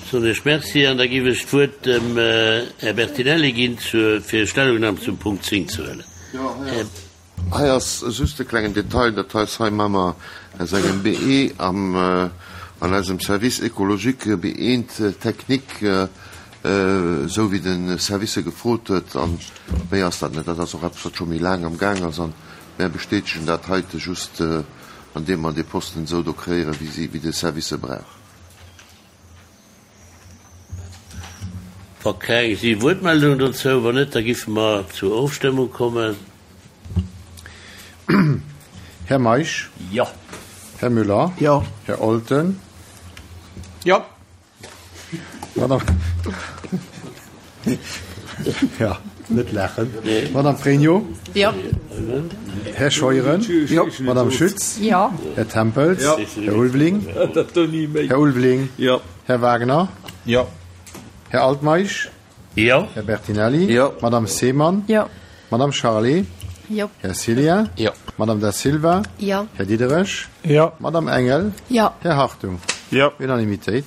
Soen ech Merci an da giff ech d'Wuert dem Här Bertinelli ginn, fir Stellungnam zum Punkt 10 ze huelen. Här. Hei ass just e klengen Detail, dat heist, hei maache mer aus engem BE am, an eisem Service écologique beeent technique, esou wéi de Service e gefrot huet. A méi ass dat net. Dat ass och eppes, wat scho méi laang am Gaang ass. A mär bestätegen dat heite just, andeem mer dee Posten esou do kreéieren, wéi si, wéi de Service e brauch. Wa keng si Wuertmeldungen dozou, wann net, da giffe mer zur Ofstëmmung kommen. Här Meisch? Jo. Här Müller? Jo. Här Olten? Jo. Madame, jo, net laachen. Madame Pregno? Jo. Här Scheuren? Jo. Madame Schütz? Jo. Här Tempels? Jo. Här Ulveling? Här Ulveling? Jo. Här Wagner? Jo. Här Altmeisch? Jo. Här Bertinelli? Jo. Madame Seemann? Jo. Madame Charlé? Jo. Här Cillien? Jo. Madame Da Silva? Jo. Här Diderich? Jo. Madame Engel? Jo. Här Hartung? Jo. Unanimitéit.